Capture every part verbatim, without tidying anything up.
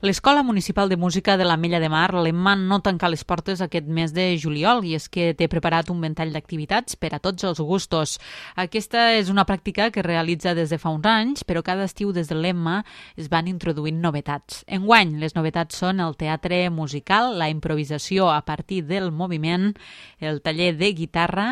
L'Escola Municipal de Música de l'Ametlla de Mar, l'Emma, no tanca les portes aquest mes de juliol i és que té preparat un ventall d'activitats per a tots els gustos. Aquesta és una pràctica que es realitza des de fa uns anys, però cada estiu des de l'Emma es van introduint novetats. Enguany, les novetats són el teatre musical, la improvisació a partir del moviment, el taller de guitarra,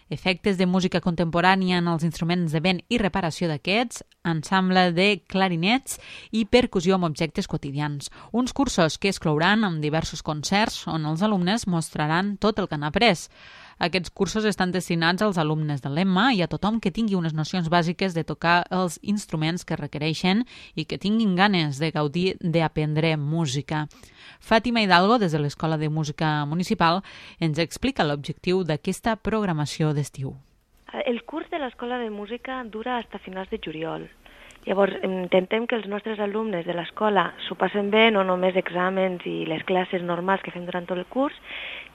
efectes de música contemporània en els instruments de vent i reparació d'aquests, ensemble de clarinets i percussió amb objectes quotidians. Uns cursos que es clouran amb diversos concerts on els alumnes mostraran tot el que han après. Aquests cursos estan destinats als alumnes de l'Emma i a tothom que tingui unes nocions bàsiques de tocar els instruments que requereixen i que tinguin ganes de gaudir d'aprendre música. Fàtima Hidalgo, des de l'Escola de Música Municipal, ens explica l'objectiu d'aquesta programació d'estiu. El curs de l'Escola de Música dura fins a finals de juliol. Llavors, intentem que els nostres alumnes de l'escola s'ho passen bé, no només exàmens i les classes normals que fem durant tot el curs,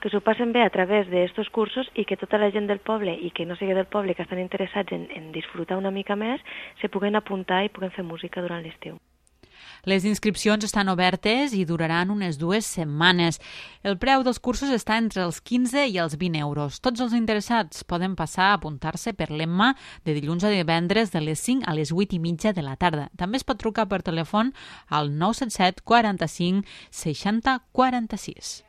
que s'ho passen bé a través d'aquests cursos i que tota la gent del poble i que no sigui del poble que estan interessats en, en disfrutar una mica més, se puguen apuntar i puguen fer música durant l'estiu. Les inscripcions estan obertes i duraran unes dues setmanes. El preu dels cursos està entre els quinze i els vint euros. Tots els interessats poden passar a apuntar-se per l'Emma de dilluns a divendres de les cinc a les vuit i mitja de la tarda. També es pot trucar per telèfon al nou set set quaranta-cinc seixanta quaranta-sis.